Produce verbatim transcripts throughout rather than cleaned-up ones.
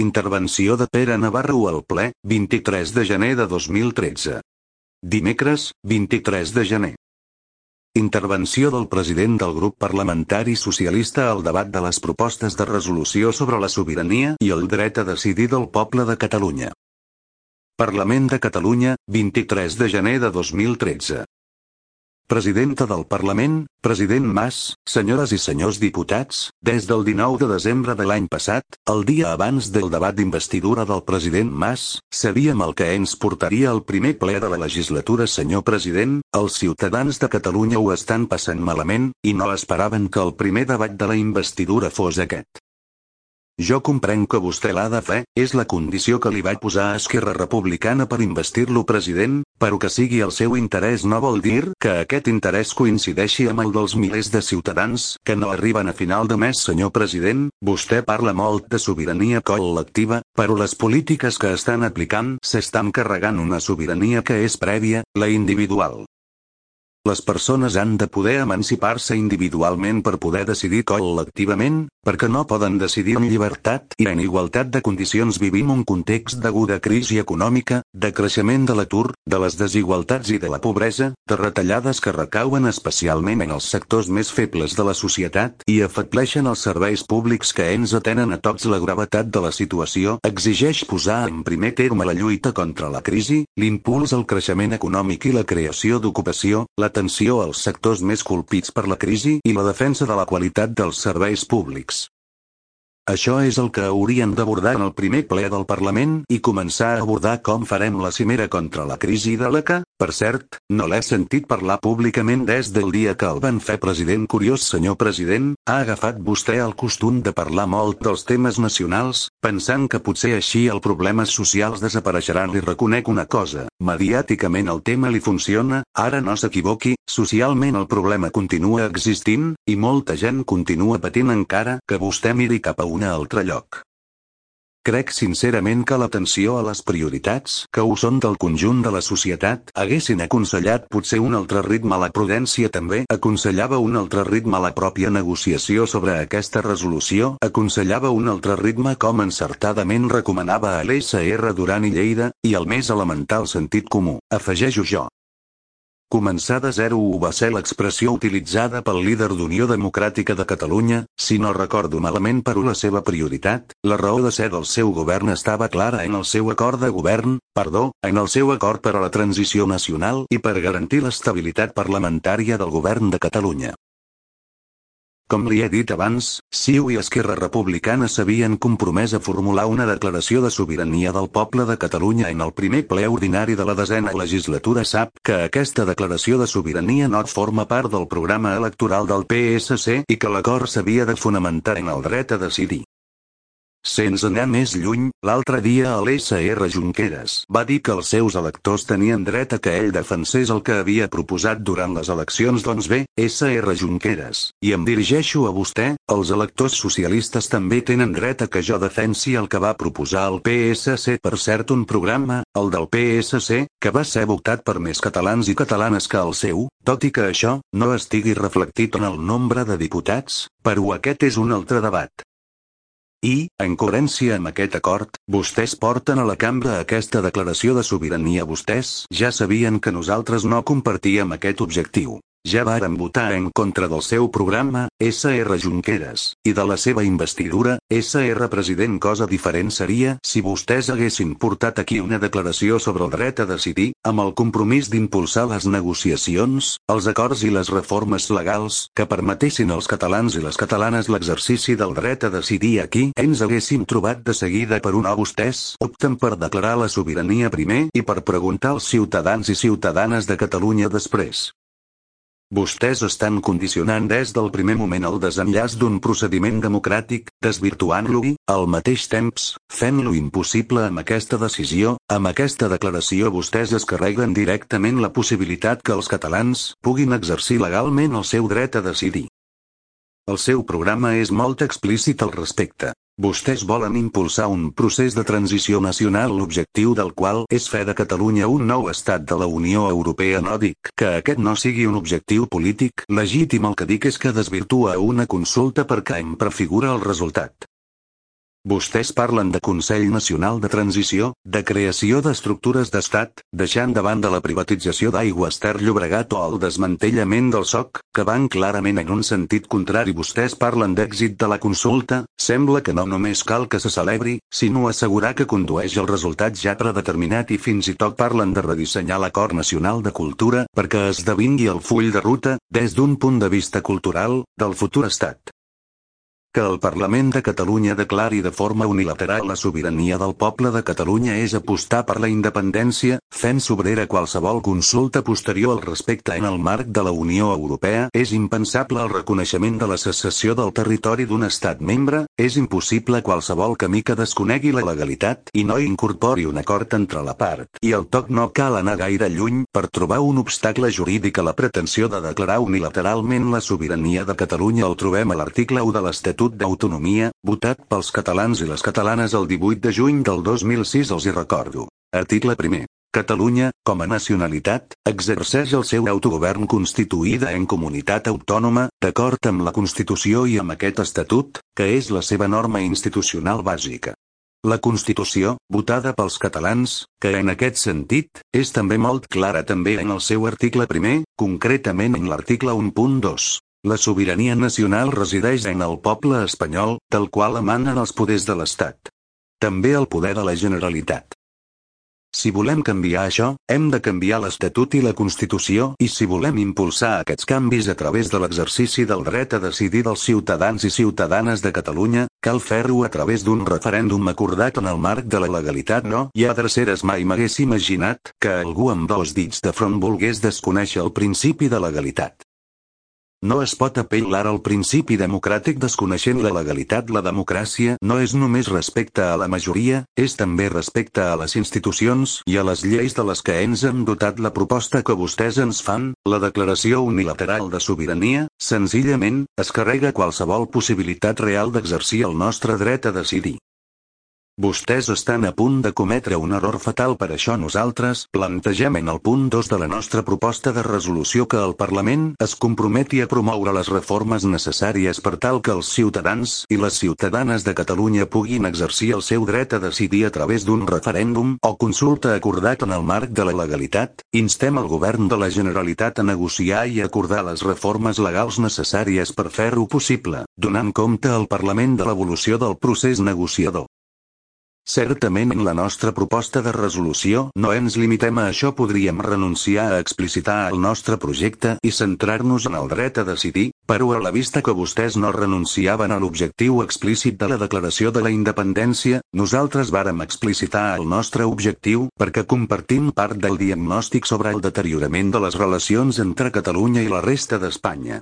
Intervenció de Pere Navarro al ple, vint-i-tres de gener de dos mil tretze. Dimecres, vint-i-tres de gener. Intervenció del president del grup parlamentari socialista al debat de les propostes de resolució sobre la sobirania i el dret a decidir del poble de Catalunya. Parlament de Catalunya, vint-i-tres de gener de dos mil tretze. Presidenta del Parlament, president Mas, senyores i senyors diputats, des del dinou de desembre de l'any passat, el dia abans del debat d'investidura del president Mas, sabíem el que ens portaria al primer ple de la legislatura. Senyor president, els ciutadans de Catalunya ho estan passant malament, i no esperaven que el primer debat de la investidura fos aquest. Jo comprenc que vostè l'ha de fer, és la condició que li va posar a Esquerra Republicana per investir-lo president, però que sigui el seu interès no vol dir que aquest interès coincideixi amb el dels milers de ciutadans que no arriben a final de mes. Senyor president, vostè parla molt de sobirania col·lectiva, però les polítiques que estan aplicant s'estan carregant una sobirania que és prèvia, la individual. Les persones han de poder emancipar-se individualment per poder decidir col·lectivament, perquè no poden decidir en llibertat i en igualtat de condicions. Vivim un context d'aguda crisi econòmica, de creixement de l'atur, de les desigualtats i de la pobresa, de retallades que recauen especialment en els sectors més febles de la societat i afebleixen els serveis públics que ens atenen a tots. La gravetat de la situació exigeix posar en primer terme la lluita contra la crisi, l'impuls al creixement econòmic i la creació d'ocupació, la atenció als sectors més colpits per la crisi i la defensa de la qualitat dels serveis públics. Això és el que hauríem d'abordar en el primer ple del Parlament i començar a abordar com farem la cimera contra la crisi de la que, per cert, no l'he sentit parlar públicament des del dia que el van fer president. Curiós, senyor president, ha agafat vostè el costum de parlar molt dels temes nacionals, pensant que potser així els problemes socials desapareixeran. Li reconec una cosa, mediàticament el tema li funciona, ara no s'equivoqui, socialment el problema continua existint, i molta gent continua patint encara que vostè miri cap a un altre lloc. Crec sincerament que l'atenció a les prioritats, que ho són del conjunt de la societat, haguessin aconsellat potser un altre ritme. La prudència també aconsellava un altre ritme. La pròpia negociació sobre aquesta resolució aconsellava un altre ritme, com encertadament recomanava a l'S R Duran i Lleida, i el més elemental sentit comú, afegeixo jo. Començar de zero ho va ser l'expressió utilitzada pel líder d'Unió Democràtica de Catalunya, si no recordo malament. Però la seva prioritat, la raó de ser del seu govern estava clara en el seu acord de govern, perdó, en el seu acord per a la transició nacional i per garantir l'estabilitat parlamentària del govern de Catalunya. Com li he dit abans, C I U i Esquerra Republicana s'havien compromès a formular una declaració de sobirania del poble de Catalunya en el primer ple ordinari de la desena legislatura. Sap que aquesta declaració de sobirania no forma part del programa electoral del P S C i que l'acord s'havia de fonamentar en el dret a decidir. Sense anar més lluny, l'altre dia a l'S R Junqueras va dir que els seus electors tenien dret a que ell defensés el que havia proposat durant les eleccions. Doncs bé, S R Junqueras, i em dirigeixo a vostè, els electors socialistes també tenen dret a que jo defensi el que va proposar el P S C. Per cert, un programa, el del P S C, que va ser votat per més catalans i catalanes que el seu, tot i que això no estigui reflectit en el nombre de diputats, però aquest és un altre debat. I, en coherència amb aquest acord, vostès porten a la cambra aquesta declaració de sobirania. Vostès ja sabien que nosaltres no compartíem aquest objectiu. Ja varen votar en contra del seu programa, S R Junqueras, i de la seva investidura, S R President. Cosa diferent seria si vostès haguessin portat aquí una declaració sobre el dret a decidir, amb el compromís d'impulsar les negociacions, els acords i les reformes legals que permetessin als catalans i les catalanes l'exercici del dret a decidir. Aquí ens haguéssim trobat de seguida, per una vostès opten per declarar la sobirania primer i per preguntar als ciutadans i ciutadanes de Catalunya després. Vostès estan condicionant des del primer moment el desenllaç d'un procediment democràtic, desvirtuant-lo i, al mateix temps, fent-lo impossible amb aquesta decisió. Amb aquesta declaració vostès es carreguen directament la possibilitat que els catalans puguin exercir legalment el seu dret a decidir. El seu programa és molt explícit al respecte. Vostès volen impulsar un procés de transició nacional, l'objectiu del qual és fer de Catalunya un nou estat de la Unió Europea. No dic que aquest no sigui un objectiu polític legítim, el que dic és que desvirtua una consulta perquè en prefigura el resultat. Vostès parlen de Consell Nacional de Transició, de creació d'estructures d'estat, deixant de banda la privatització d'Aigües Ter Llobregat o el desmantellament del S O C, que van clarament en un sentit contrari. Vostès parlen d'èxit de la consulta, sembla que no només cal que se celebri, sinó assegurar que condueix al resultat ja predeterminat i fins i tot parlen de redissenyar l'Acord Nacional de Cultura perquè esdevingui el full de ruta, des d'un punt de vista cultural, del futur estat. Que el Parlament de Catalunya declari de forma unilateral la sobirania del poble de Catalunya és apostar per la independència, fent sobrera qualsevol consulta posterior al respecte en el marc de la Unió Europea. És impensable el reconeixement de la secessió del territori d'un estat membre, és impossible qualsevol camí que desconegui la legalitat i no incorpori un acord entre la part i el toc. No cal anar gaire lluny per trobar un obstacle jurídic a la pretensió de declarar unilateralment la sobirania de Catalunya. El trobem a l'article u de l'Estatut d'Autonomia, votat pels catalans i les catalanes el divuit de juny del dos mil sis. Els hi recordo. Article primer. Catalunya, com a nacionalitat, exerceix el seu autogovern constituïda en comunitat autònoma, d'acord amb la Constitució i amb aquest Estatut, que és la seva norma institucional bàsica. La Constitució, votada pels catalans, que en aquest sentit, és també molt clara també en el seu article primer, concretament en l'article u punt dos. La sobirania nacional resideix en el poble espanyol, del qual emanen els poders de l'Estat. També el poder de la Generalitat. Si volem canviar això, hem de canviar l'Estatut i la Constitució, i si volem impulsar aquests canvis a través de l'exercici del dret a decidir dels ciutadans i ciutadanes de Catalunya, cal fer-ho a través d'un referèndum acordat en el marc de la legalitat. No hi ha dreceres. Mai m'hagués imaginat que algú amb dos dits de front volgués desconèixer el principi de legalitat. No es pot apel·lar al principi democràtic desconeixent la legalitat. La democràcia no és només respecte a la majoria, és també respecte a les institucions i a les lleis de les que ens hem dotat. La proposta que vostès ens fan, la declaració unilateral de sobirania, senzillament, es carrega qualsevol possibilitat real d'exercir el nostre dret a decidir. Vostès estan a punt de cometre un error fatal. Per això nosaltres plantegem en el punt dos de la nostra proposta de resolució que el Parlament es comprometi a promoure les reformes necessàries per tal que els ciutadans i les ciutadanes de Catalunya puguin exercir el seu dret a decidir a través d'un referèndum o consulta acordat en el marc de la legalitat. Instem el govern de la Generalitat a negociar i acordar les reformes legals necessàries per fer-ho possible, donant compte al Parlament de l'evolució del procés negociador. Certament en la nostra proposta de resolució no ens limitem a això. Podríem renunciar a explicitar el nostre projecte i centrar-nos en el dret a decidir, però a la vista que vostès no renunciaven a l'objectiu explícit de la declaració de la independència, nosaltres vàrem explicitar el nostre objectiu perquè compartim part del diagnòstic sobre el deteriorament de les relacions entre Catalunya i la resta d'Espanya.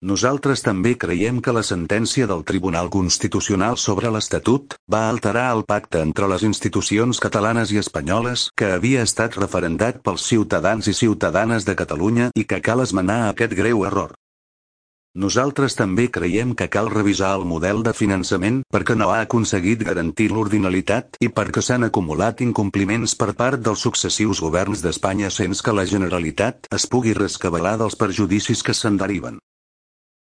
Nosaltres també creiem que la sentència del Tribunal Constitucional sobre l'Estatut va alterar el pacte entre les institucions catalanes i espanyoles que havia estat referendat pels ciutadans i ciutadanes de Catalunya i que cal esmenar aquest greu error. Nosaltres també creiem que cal revisar el model de finançament perquè no ha aconseguit garantir l'ordinalitat i perquè s'han acumulat incompliments per part dels successius governs d'Espanya sense que la Generalitat es pugui rescabalar dels perjudicis que se'n deriven.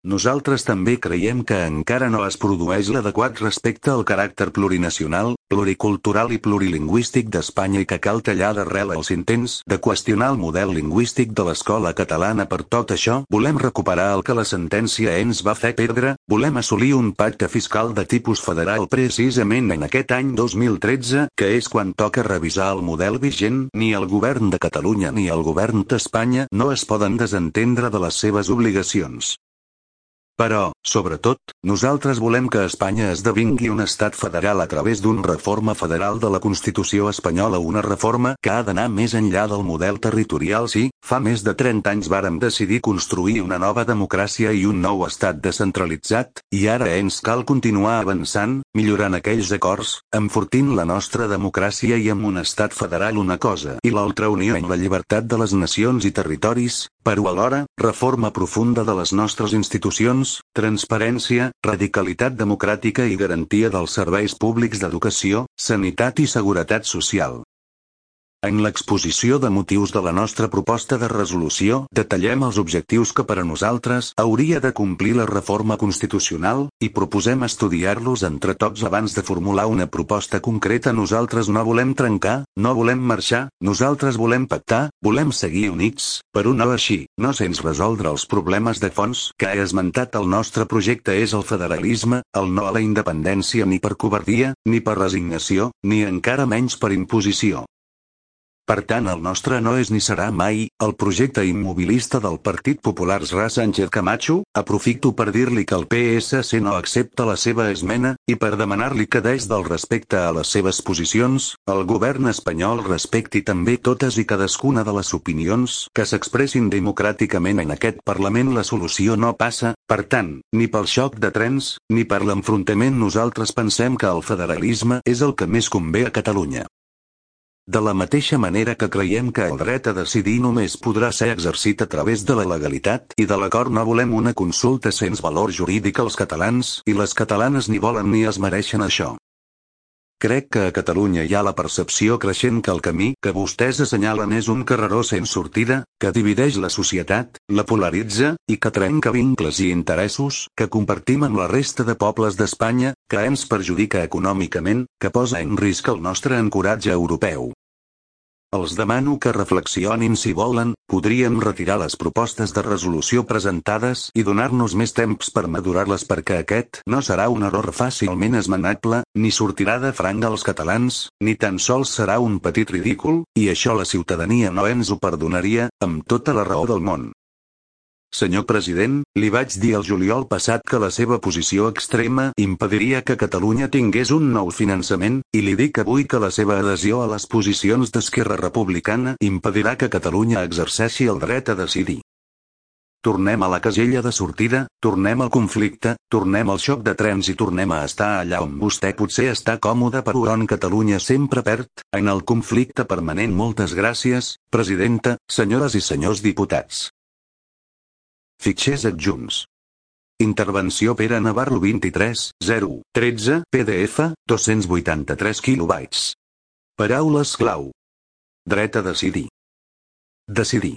Nosaltres també creiem que encara no es produeix l'adequat respecte al caràcter plurinacional, pluricultural i plurilingüístic d'Espanya i que cal tallar d'arrel els intents de qüestionar el model lingüístic de l'escola catalana. Per tot això, volem recuperar el que la sentència ens va fer perdre, volem assolir un pacte fiscal de tipus federal precisament en aquest any dos mil tretze, que és quan toca revisar el model vigent. Ni el govern de Catalunya ni el govern d'Espanya no es poden desentendre de les seves obligacions. Però, sobretot, nosaltres volem que Espanya esdevingui un estat federal a través d'una reforma federal de la Constitució espanyola, una reforma que ha d'anar més enllà del model territorial. Sí, fa més de trenta anys vàrem decidir construir una nova democràcia i un nou estat descentralitzat, i ara ens cal continuar avançant, millorant aquells acords, enfortint la nostra democràcia i amb un estat federal una cosa i l'altra unió en la llibertat de les nacions i territoris, però alhora, reforma profunda de les nostres institucions, transparència, radicalitat democràtica i garantia dels serveis públics d'educació, sanitat i seguretat social. En l'exposició de motius de la nostra proposta de resolució detallem els objectius que per a nosaltres hauria de complir la reforma constitucional, i proposem estudiar-los entre tots abans de formular una proposta concreta. Nosaltres no volem trencar, no volem marxar, nosaltres volem pactar, volem seguir units, per un no així, no sense resoldre els problemes de fons que he esmentat. El nostre projecte és el federalisme, el no a la independència ni per covardia, ni per resignació, ni encara menys per imposició. Per tant, el nostre no és ni serà mai el projecte immobilista del Partit Popular. Ra Sánchez Camacho, aprofito per dir-li que el P S C no accepta la seva esmena, i per demanar-li que des del respecte a les seves posicions, el govern espanyol respecti també totes i cadascuna de les opinions que s'expressin democràticament en aquest Parlament. La solució no passa, per tant, ni pel xoc de trens, ni per l'enfrontament. Nosaltres pensem que el federalisme és el que més convé a Catalunya. De la mateixa manera que creiem que el dret a decidir només podrà ser exercit a través de la legalitat i de l'acord. No volem una consulta sense valor jurídic. Els catalans i les catalanes ni volen ni es mereixen això. Crec que a Catalunya hi ha la percepció creixent que el camí que vostès assenyalen és un carreró sense sortida, que divideix la societat, la polaritza, i que trenca vincles i interessos que compartim amb la resta de pobles d'Espanya, que ens perjudica econòmicament, que posa en risc el nostre ancoratge europeu. Els demano que reflexionin. Si volen, podríem retirar les propostes de resolució presentades i donar-nos més temps per madurar-les, perquè aquest no serà un error fàcilment esmenable, ni sortirà de franc als catalans, ni tan sols serà un petit ridícul, i això la ciutadania no ens ho perdonaria, amb tota la raó del món. Senyor president, li vaig dir el juliol passat que la seva posició extrema impediria que Catalunya tingués un nou finançament, i li dic avui que la seva adhesió a les posicions d'Esquerra Republicana impedirà que Catalunya exerceixi el dret a decidir. Tornem a la casella de sortida, tornem al conflicte, tornem al xoc de trens i tornem a estar allà on vostè potser està còmode però on Catalunya sempre perd, en el conflicte permanent. Moltes gràcies, presidenta, senyores i senyors diputats. Fitxers adjunts. Intervenció Pere Navarro vint-i-tres zero tretze, P D F, dos-cents vuitanta-tres quilobytes. Paraules clau. Dret a decidir. Decidir.